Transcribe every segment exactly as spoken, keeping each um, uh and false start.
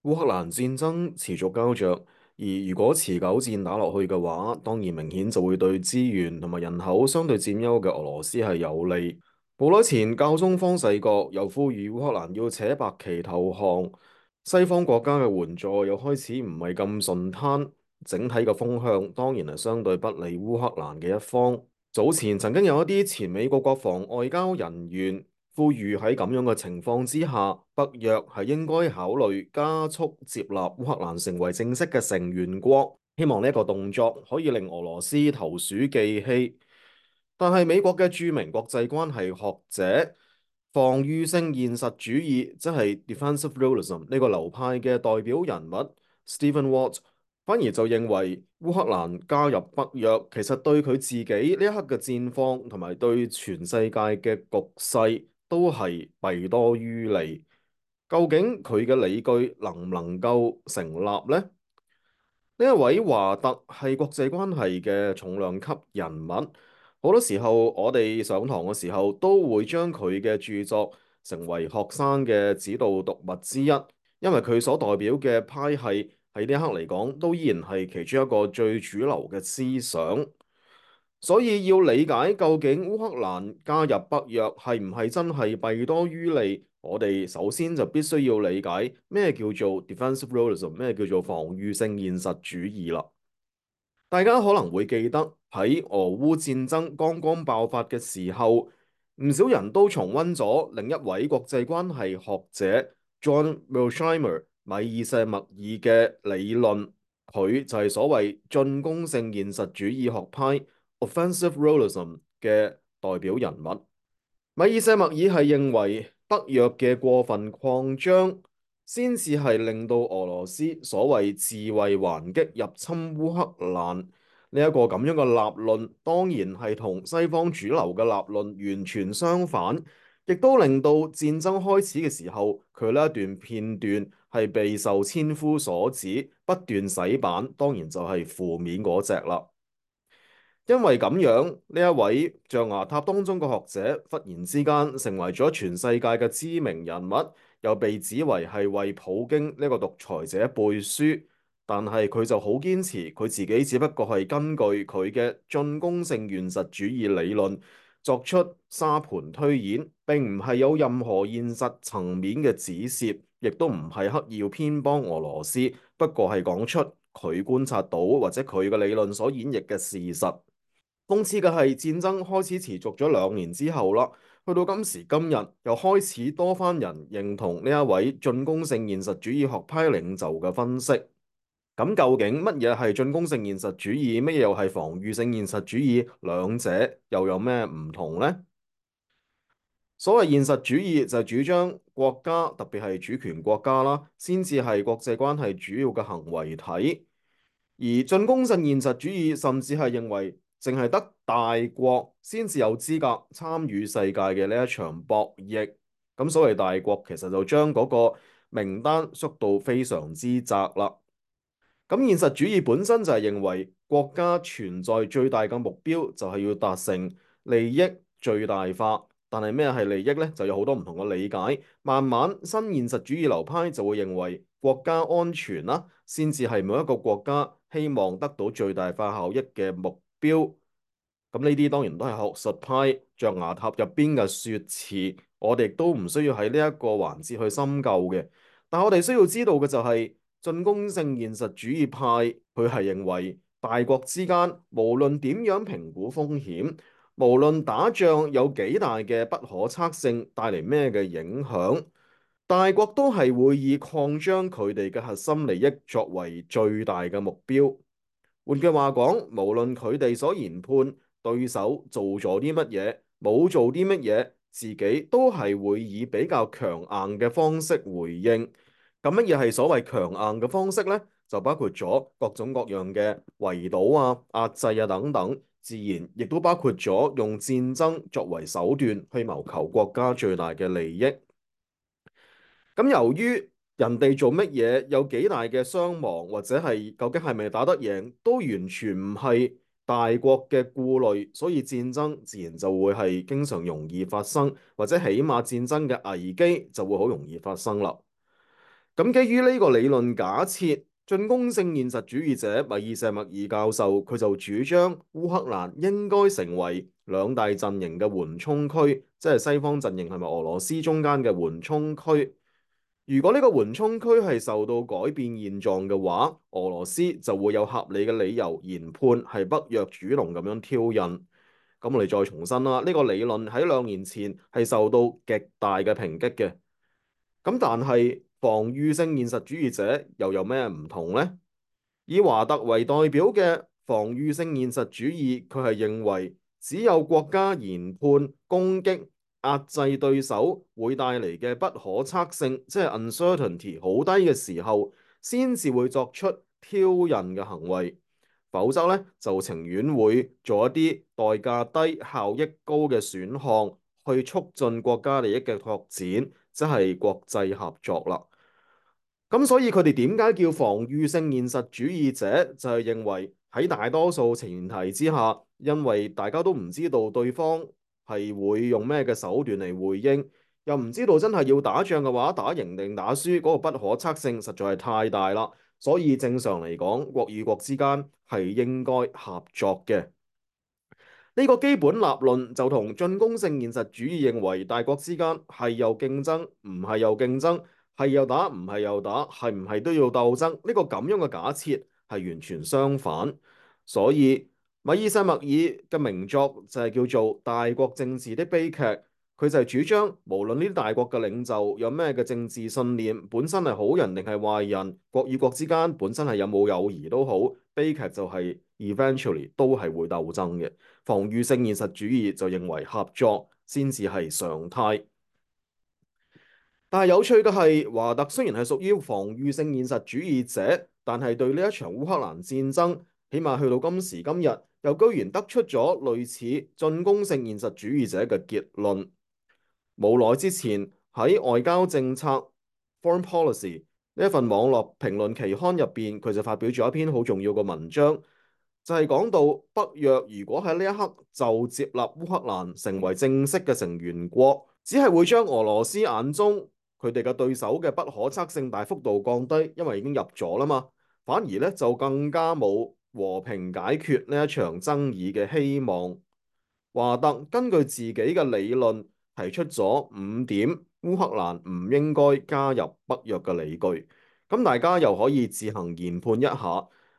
烏克蘭戰爭持續膠着，而如果持久戰打落去嘅話，當然明顯就會對資源同埋人口相對佔優嘅俄羅斯係有利。冇耐前，教宗方濟各又呼籲烏克蘭要扯白旗投降，西方國家嘅援助又開始唔係咁順攤，整體嘅風向當然係相對不利烏克蘭嘅一方。早前曾經有一啲前美國國防外交人員呼籲喺咁樣嘅情況之下，北約係應該考慮加速接納烏克蘭成為正式嘅成員國，希望呢一個動作可以令俄羅斯投鼠忌器。但係美國嘅著名國際關係學者、防禦性現實主義，即係 defensive realism 呢個流派嘅代表人物 Stephen Walt，反而就認為烏克蘭加入北約，其實對佢自己呢一刻嘅戰況同埋對全世界嘅局勢都係弊多於利。究竟佢嘅理據能唔能夠成立呢？呢一位華特係國際關係嘅重量級人物，好多時候我哋上堂嘅時候都會將佢嘅著作成為學生嘅指導讀物之一，因為佢所代表嘅派系喺呢一刻嚟講都依然係其中一個最主流嘅思想。所以要理解究竟烏克蘭加入北約係唔係真係弊多於利，我哋首先就必須要理解咩叫做 defensive realism，咩叫做防禦性現實主義啦。大家可能會記得喺俄烏戰爭剛剛爆發嘅時候，唔少人都重溫咗另一位國際關係學者 John Mearsheimer 米爾舍默爾嘅理論，佢就係所謂進攻性現實主義學派 offensive realism 嘅代表人物。米爾舍默爾係認為北約嘅過分擴張，先至係令到俄羅斯所謂自衛還擊入侵烏克蘭呢一個咁樣嘅立論，當然係同西方主流嘅立論完全相反，亦都令到戰爭開始嘅時候，佢呢一段片段係備受千夫所指，不斷洗版，當然就係負面嗰隻啦。因為咁樣，呢一位象牙塔當中嘅學者忽然之間成為咗全世界嘅知名人物，又被指為係為普京呢個獨裁者背書。但係佢就好堅持佢自己只不過係根據佢嘅進攻性現實主義理論作出沙盤推演，並唔係有任何現實層面嘅指涉，亦都唔係刻意要偏幫俄羅斯，不過係講出佢觀察到或者佢嘅理論所演繹嘅事實。諷刺嘅係戰爭開始持續咗兩年之後啦，去到今時今日，又開始多番人認同呢一位進攻性現實主義學派領袖嘅分析。咁究竟乜嘢係進攻性現實主義，乜嘢又係防禦性現實主義？兩者又有咩唔同呢？所謂現實主義就係主張國家，特別係主權國家啦，先至係國際關係主要嘅行為體。而進攻性現實主義甚至係認為，淨係得大國先至有資格參與世界嘅呢一場博弈。咁所謂大國，其實就將嗰個名單縮到非常之窄啦。咁現實主義本身就係認為國家存在最大嘅目標就係要達成利益最大化。但係咩係利益呢？就有好多唔同嘅理解。慢慢新現實主義流派就會認為國家安全啦，先至係每一個國家希望得到最大化效益嘅目標。咁呢啲當然都係學術派象牙塔入邊嘅説辭，我哋都唔需要喺呢一個環節去深究嘅。但我哋需要知道嘅就係進攻性現實主義派，佢係認為大國之間無論點樣評估風險，無論打仗有幾大嘅不可測性，帶嚟咩嘅影響，大國都係會以擴張佢哋嘅核心利益作為最大嘅目標。換句話講，無論佢哋所研判對手做咗啲乜嘢，冇做啲乜嘢，自己都係會以比較強硬嘅方式回應。咁乜嘢係所謂強硬嘅方式呢？就包括咗各種各樣嘅圍堵啊、壓制啊等等，自然亦都包括咗用戰爭作為手段去謀求國家最大嘅利益。咁由於人哋做乜嘢，有幾大嘅傷亡，或者係究竟係咪打得贏，都完全唔係大國嘅顧慮，所以戰爭自然就會係經常容易發生，或者起碼戰爭嘅危機就會好容易發生啦。咁基於呢個理論假設，進攻性現實主義者米爾錫默爾教授佢就主張烏克蘭應該成為兩大陣營嘅緩衝區，即係西方陣營係咪俄羅斯中間嘅緩衝區。如果呢個緩衝區係受到改變現狀嘅話，俄羅斯就會有合理嘅理由研判係北約主動咁樣挑釁。咁我哋再重申啦，呢個理論喺兩年前係受到極大嘅抨擊嘅。咁但係防禦性現實主義者又有咩唔同呢？以華特為代表嘅防禦性現實主義，佢係認為只有國家研判攻擊壓制對手會帶嚟嘅不可測性，即係 uncertainty 好低嘅時候，先至會作出挑釁嘅行為。否則咧，就情願會做一啲代價低、效益高嘅選項，去促進國家利益嘅拓展，即係國際合作啦。咁所以佢哋點解叫防禦性現實主義者？就係認為喺大多數前提之下，因為大家都唔知道對方係會用咩嘅手段嚟回應，又唔知道真係要打仗嘅話，打贏定打輸嗰個不可測性實在係太大啦。所以正常嚟講，國與國之間係應該合作嘅。呢個基本立論就同進攻性現實主義認為大國之間係有競爭，唔係有競爭，係又打，唔係又打，係唔係都要鬥爭？呢個咁樣嘅假設係完全相反。所以米爾塞默爾嘅名作就係叫做《大國政治的悲劇》。佢就係主張，無論呢啲大國嘅領袖有咩嘅政治信念，本身係好人定係壞人，國與國之間本身係有冇友誼都好，悲劇就係 eventually 都係會鬥爭嘅。防禦性現實主義就認為合作先至係常態。但係有趣嘅係，華特雖然係屬於防禦性現實主義者，但係對呢一場烏克蘭戰爭，起碼去到今時今日，又居然得出咗類似進攻性現實主義者嘅結論。冇耐之前喺外交政策 Foreign Policy 呢一份網絡評論期刊入邊，佢就發表咗一篇好重要嘅文章，就係講到北約如果喺呢一刻就接納烏克蘭成為正式嘅成員國，只係會將俄羅斯眼中佢哋嘅對手嘅不可測性大幅度降低，因為已經入咗啦嘛，反而咧就更加冇和平解決呢一場爭議嘅希望。華特根據自己嘅理論提出咗五點烏克蘭唔應該加入北約嘅理據，咁大家又可以自行研判一下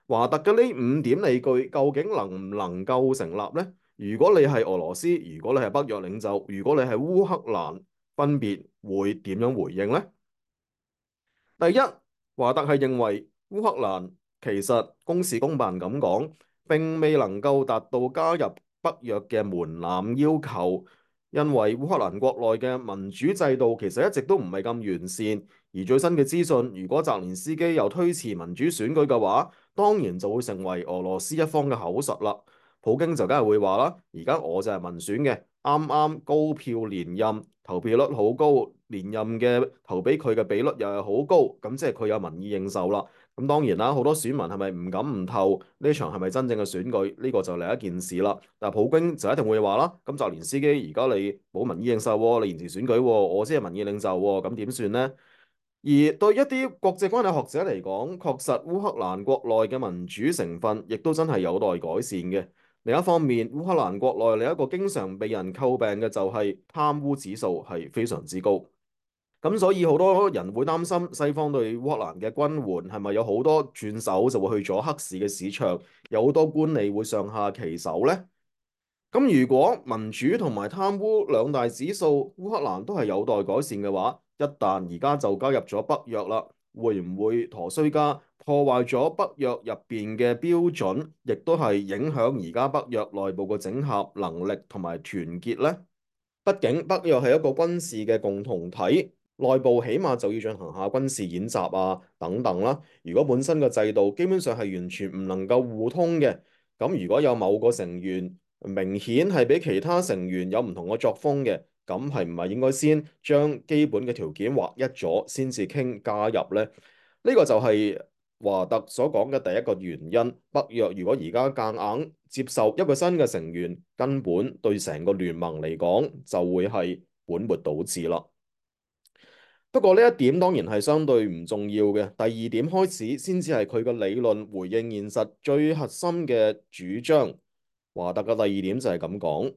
華特嘅呢五點理據究竟能唔能夠成立呢？如果你係俄羅斯，如果你係北約領袖，如果你係烏克蘭，分別會點樣回應呢？第一，華特係認為烏克蘭其實公事公辦咁講，並未能夠達到加入北約嘅門檻要求，因為烏克蘭國內嘅民主制度其實一直都唔係咁完善，而最新嘅資訊，如果澤連斯基又推遲民主選舉嘅話，當然就會成為俄羅斯一方嘅口實啦。普京就梗係會話啦，而家我就係民選嘅，啱啱高票連任，投票率好高，連任嘅投俾佢嘅比率又係好高，咁即係佢有民意認受啦。咁當然啦，好多選民係咪唔敢唔投呢場係咪真正嘅選舉？呢個就另一件事啦。但係普京就一定會話啦，咁澤連斯基而家你冇民意認受喎，你延遲選舉喎，我先係民意領袖喎，咁點算呢？而對一啲國際關係學者嚟講，確實烏克蘭國內嘅民主成分亦都真係有待改善嘅。另一方面，烏克蘭國內另一個經常被人詬病嘅就係貪污指數係非常之高。咁所以好多人會擔心西方對烏克蘭嘅軍援係咪有好多轉手就會去咗黑市嘅市場，有好多官吏會上下其手呢？咁如果民主同埋貪污兩大指數，烏克蘭都係有待改善嘅話，一旦而家就加入咗北約啦，會唔會陀衰家破壞咗北約入邊嘅標準，亦都係影響而家北約內部嘅整合能力同埋團結呢？畢竟北約係一個軍事嘅共同體，內部起碼就要進行下軍事演習啊等等啦。如果本身嘅制度基本上係完全唔能夠互通嘅，咁如果有某個成員明顯係比其他成員有唔同嘅作風嘅，咁係唔係應該先將基本嘅條件劃一咗，先至傾加入呢？呢個就係華特所講嘅第一個原因。北約如果而家夾硬接受一個新嘅成員，根本對成個聯盟嚟講就會係本末倒置啦。不過呢一點當然係相對唔重要嘅。第二點開始先至係佢個理論回應現實最核心嘅主張。華特嘅第二點就係咁講。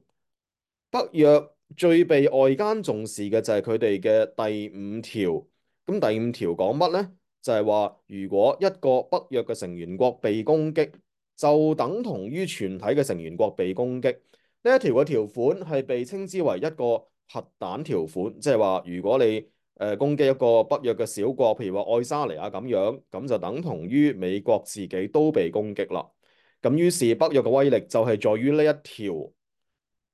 北約最被外間重視嘅就係佢哋嘅第五條。咁第五條講乜呢？就係話如果一個北約嘅成員國被攻擊，就等同於全體嘅成員國被攻擊。呢一條嘅條款係被稱之為一個核彈條款，即係話如果你誒、呃、攻擊一個北約嘅小國，譬如話愛沙尼亞咁樣，咁就等同於美國自己都被攻擊啦。咁於是北約嘅威力就係在於呢一條。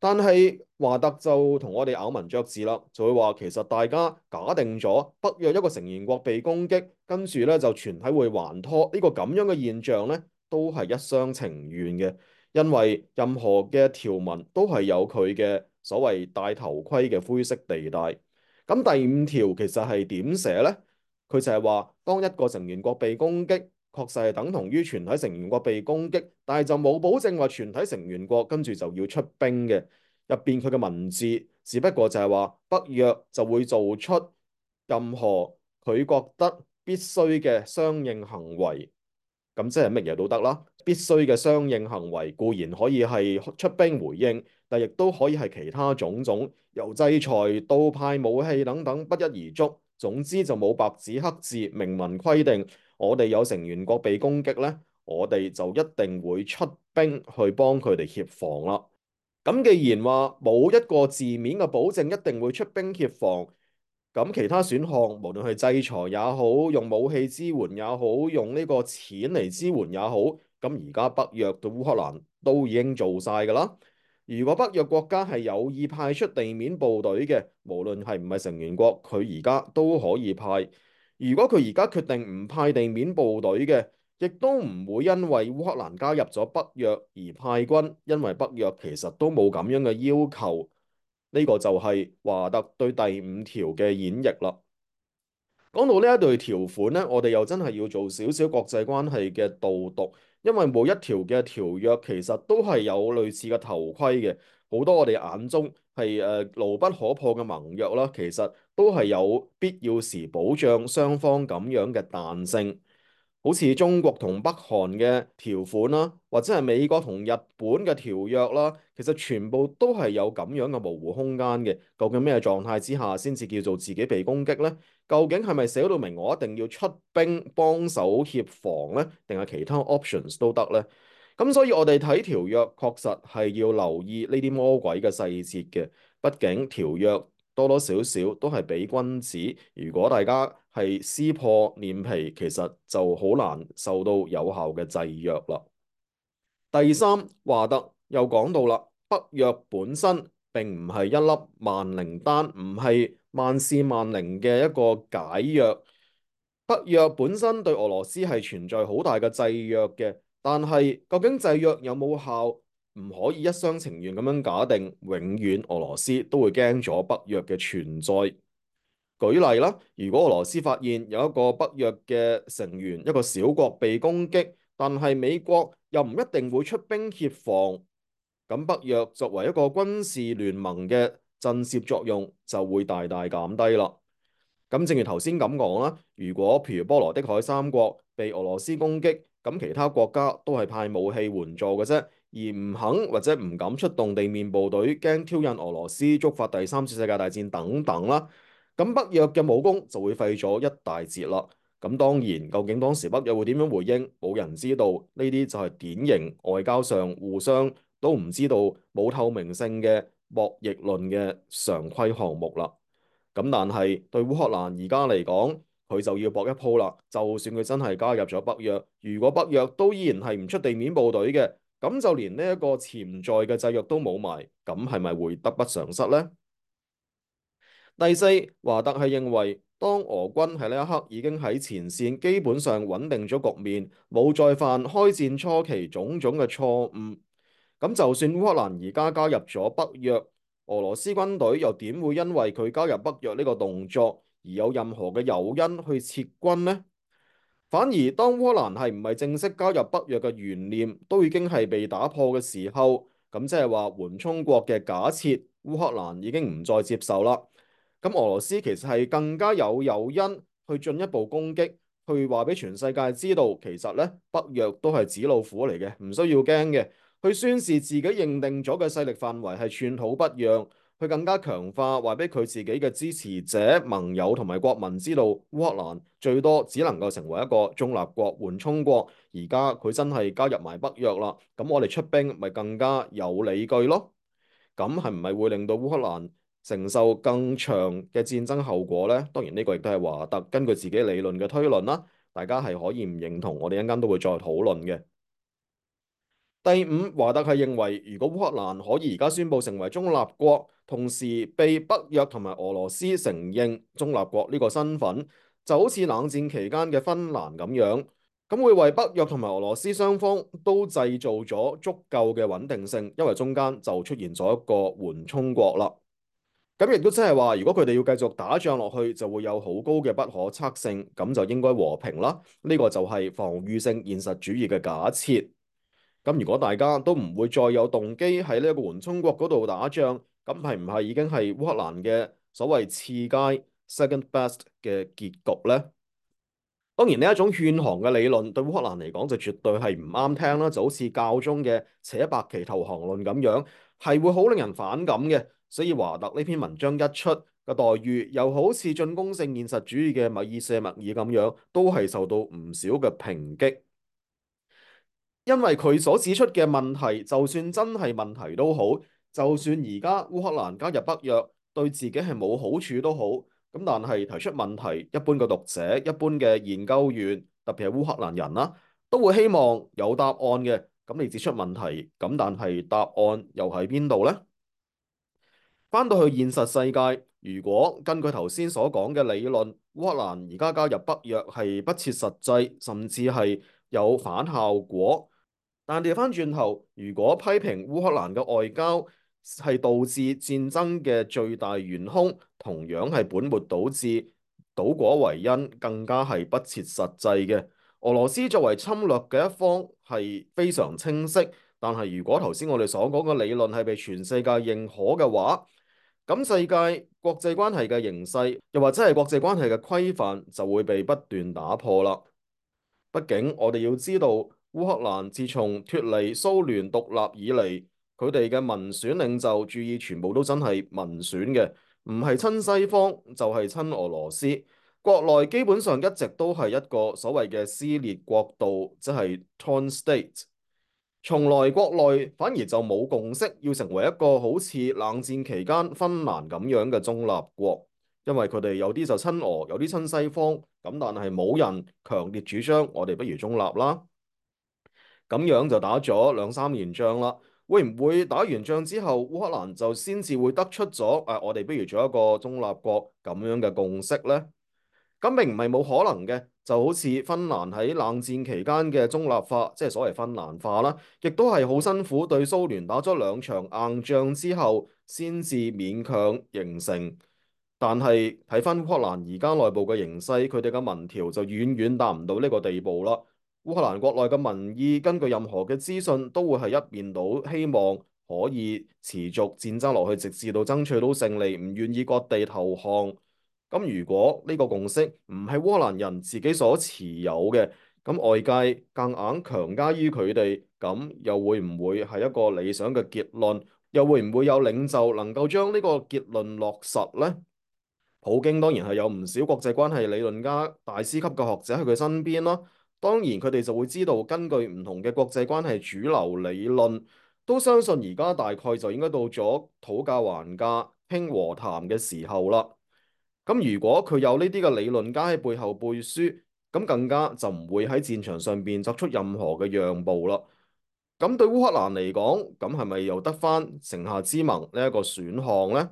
但係華特就同我哋咬文嚼字啦，就會話其實大家假定咗北約一個成員國被攻擊，跟住咧就全體會還拖呢個咁樣嘅現象咧，都係一廂情願嘅，因為任何嘅條文都係有佢嘅所謂戴頭盔嘅灰色地帶。咁第五條其實係點寫呢？佢就係話，當一個成員國被攻擊，確實係等同於全體成員國被攻擊，但係就冇保證話全體成員國跟住就要出兵嘅。入邊佢嘅文字，只不過就係話北約就會做出任何佢覺得必須嘅相應行為，咁即係乜嘢都得啦。必須嘅相應行為固然可以係出兵回應，但亦都可以係其他種種，由制裁到派武器等等不一而足。總之就冇白紙黑字明文規定，我哋有成員國被攻擊呢，我哋就一定會出兵去幫佢哋協防啦。咁既然話冇一個字面嘅保證一定會出兵協防，咁其他選項無論係制裁也好，用武器支援也好，用呢個錢嚟支援也好，咁而家北約對烏克蘭都已經做晒㗎啦。如果北約國家係有意派出地面部隊嘅，無論係唔係成員國，佢而家都可以派。如果佢而家決定唔派地面部隊嘅，亦都唔會因為烏克蘭加入咗北約而派軍，因為北約其實都冇咁樣嘅要求。呢個就係華特對第五條嘅演繹啦。講到呢一對條款呢，我哋又真係要做少少國際關係嘅導讀，因為每一條嘅條約其實都係有類似嘅頭盔嘅，好多我哋眼中係誒牢不可破嘅盟約啦，其實都係有必要時保障雙方咁樣嘅彈性。好似中國同北韓嘅條款啦，或者係美國同日本嘅條約啦，其實全部都係有咁樣嘅模糊空間嘅。究竟咩狀態之下先至叫做自己被攻擊呢？究竟係咪寫到明我一定要出兵幫手協防呢？定係其他 options 都得呢？咁所以我哋睇條約確實係要留意呢啲魔鬼嘅細節嘅，畢竟條約多多少少都係俾君子，如果大家係撕破臉皮，其實就好難受到有效嘅制約啦。第三，華特又講到啦，北約本身並唔係一粒萬靈丹，唔係萬事萬靈嘅一個解藥。北約本身對俄羅斯係存在好大嘅制約嘅，但係究竟制約有冇效，唔可以一廂情願咁樣假定，永遠俄羅斯都會驚咗北約嘅存在。舉例啦，如果俄羅斯發現有一個北約嘅成員，一個小國被攻擊，但係美國又唔一定會出兵協防，咁北約作為一個軍事聯盟嘅震懾作用就會大大減低啦。咁正如頭先咁講啦，如果譬如波羅的海三國被俄羅斯攻擊，咁其他國家都係派武器援助嘅啫，而唔肯或者唔敢出動地面部隊，驚挑釁俄羅斯，觸發第三次世界大戰等等啦。咁北約嘅武功就會廢咗一大截啦。咁當然，究竟當時北約會點樣回應，冇人知道。呢啲就係典型外交上互相都唔知道、冇透明性嘅博弈論嘅常規項目啦。咁但係對烏克蘭而家嚟講，佢就要搏一鋪啦。就算佢真係加入咗北約，如果北約都依然係唔出地面部隊嘅，咁就連呢一個潛在嘅制約都冇埋，咁係咪會得不償失呢？第四，華特係認為，當俄軍喺呢一刻已經喺前線基本上穩定咗局面，冇再犯開戰初期種種嘅錯誤，咁就算烏克蘭而家加入咗北約，俄羅斯軍隊又點會因為佢加入北約呢個動作而有任何嘅誘因去撤軍呢？反而當烏克蘭係唔係正式加入北約嘅懸念都已經係被打破嘅時候，咁即係話緩衝國嘅假設，烏克蘭已經唔再接受啦。咁俄羅斯其實係更加有誘因去進一步攻擊，去話俾全世界知道，其實咧北約都係紙老虎嚟嘅，唔需要驚嘅。去宣示自己認定咗嘅勢力範圍係寸土不讓，去更加強化話俾佢自己嘅支持者、盟友同埋國民知道，烏克蘭最多只能夠成為一個中立國、緩衝國。而家佢真係加入埋北約啦，咁我哋出兵咪更加有理據咯。咁係唔係會令到烏克蘭承受更長嘅戰爭後果呢？當然呢個亦都係華特根據自己理論嘅推論啦，大家係可以唔認同，我哋一陣間都會再討論嘅。第五，華特係認為，如果烏克蘭可以而家宣布成為中立國，同時被北約同埋俄羅斯承認中立國呢個身份，就好似冷戰期間嘅芬蘭咁樣，咁會為北約同埋俄羅斯雙方都製造咗足夠嘅穩定性，因為中間就出現咗一個緩衝國啦。咁亦都即係話，如果佢哋要繼續打仗落去，就會有好高嘅不可測性，咁就應該和平啦。呢個就係防禦性現實主義嘅假設。咁如果大家都唔會再有動機喺呢一個緩衝國嗰度打仗，咁係唔係已經係烏克蘭嘅所謂次佳 second best 嘅結局呢？當然呢一種勸降嘅理論對烏克蘭嚟講就絕對係唔啱聽啦，就好似教宗嘅扯白旗投降論咁樣，係會好令人反感嘅。所以華特呢篇文章一出嘅待遇，又好似進攻性現實主義嘅米爾舍默爾咁樣，都係受到唔少嘅抨擊。因為佢所指出嘅問題，就算真係問題都好，就算而家烏克蘭加入北約對自己係冇好處都好，咁但係提出問題，一般嘅讀者、一般嘅研究員，特別係烏克蘭人啦，都會希望有答案嘅。咁你指出問題，咁但係答案又喺邊度呢？翻到去現實世界，如果根據頭先所講嘅理論，烏克蘭而家加入北約係不切實際，甚至係有反效果。但調翻轉頭，如果批評烏克蘭嘅外交係導致戰爭嘅最大元兇，同樣係本末倒置、倒果為因，更加係不切實際嘅。俄羅斯作為侵略嘅一方係非常清晰，但係如果頭先我哋所講嘅理論係被全世界認可嘅話，咁世界國際關係嘅形勢，又或者係國際關係嘅規範，就會被不斷打破啦。畢竟我哋要知道，烏克蘭自從脫離蘇聯獨立以嚟，佢哋嘅民選領袖注意全部都真係民選嘅，唔係親西方就係親俄羅斯。國內基本上一直都係一個所謂嘅撕裂國度，即係 torn state。從來國內反而就冇共識，要成為一個好似冷戰期間芬蘭咁樣嘅中立國。因為佢哋有啲就親俄，有啲親西方，咁但係冇人強烈主張我哋不如中立啦。咁樣就打咗兩三年仗啦，會唔會打完仗之後，烏克蘭就先至會得出咗誒、啊、我哋不如做一個中立國咁樣嘅共識呢？咁並唔係冇可能嘅，就好似芬蘭喺冷戰期間嘅中立化，即係所謂芬蘭化啦，亦都係好辛苦對蘇聯打咗兩場硬仗之後，先至勉強形成。但係睇翻烏克蘭而家內部嘅形勢，佢哋嘅民調就遠遠達唔到呢個地步啦。烏克蘭國內嘅民意，根據任何嘅資訊，都會係一面倒，希望可以持續戰爭落去，直至到爭取到勝利，唔願意割地投降。咁如果呢個共識唔係烏克蘭人自己所持有嘅，咁外界夾硬強加於佢哋，咁又會唔會係一個理想嘅結論？又會唔會有領袖能夠將呢個結論落實呢？普京當然係有唔少國際關係理論家、大師級嘅學者喺佢身邊啦。當然佢哋就會知道，根據唔同嘅國際關係主流理論，都相信而家大概就應該到咗討價還價、傾和談嘅時候啦。咁如果佢有呢啲嘅理論家喺背後背書，咁更加就唔會喺戰場上邊作出任何嘅讓步啦。咁對烏克蘭嚟講，咁係咪又得返城下之盟呢一個選項呢？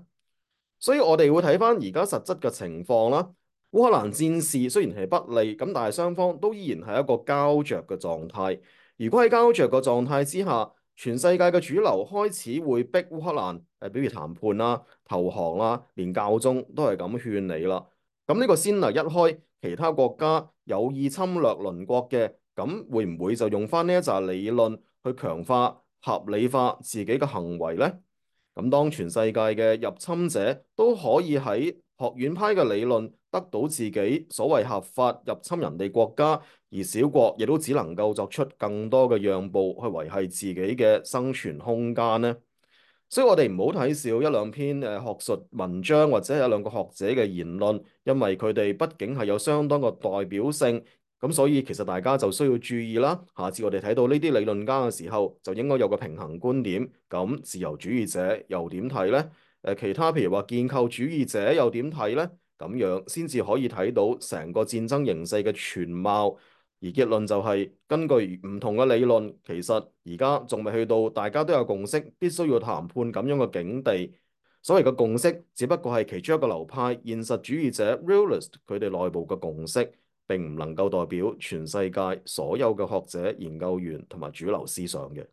所以我哋會睇翻而家實質嘅情況啦。烏克蘭戰事雖然係不利，咁但係雙方都依然係一個膠着嘅狀態。如果喺膠着嘅狀態之下，全世界嘅主流開始會逼烏克蘭誒，比如談判啦、投降啦，連教宗都係咁勸你啦。咁呢個先例一開，其他國家有意侵略鄰國嘅，咁會唔會就用翻呢一紮理論去強化、合理化自己嘅行為呢？咁當全世界嘅入侵者都可以喺學院派嘅理論得到自己所謂合法入侵人哋國家，而小國亦都只能夠作出更多嘅讓步去維繫自己嘅生存空間呢？所以我哋唔好睇少一兩篇誒學術文章或者係一兩個學者嘅言論，因為佢哋畢竟係有相當嘅代表性，咁所以其實大家就需要注意啦。下次我哋睇到呢啲理論家嘅時候，就應該有個平衡觀點。咁自由主義者又點睇呢？誒其他譬如話建構主義者又點睇呢？咁樣先至可以睇到成個戰爭形勢嘅全貌。而結論就係根據唔同嘅理論，其實而家仲未去到大家都有共識，必須要談判咁樣嘅境地。所謂嘅共識，只不過係其中一個流派現實主義者 realist 佢哋內部嘅共識，並唔能夠代表全世界所有嘅學者、研究員同埋主流思想嘅。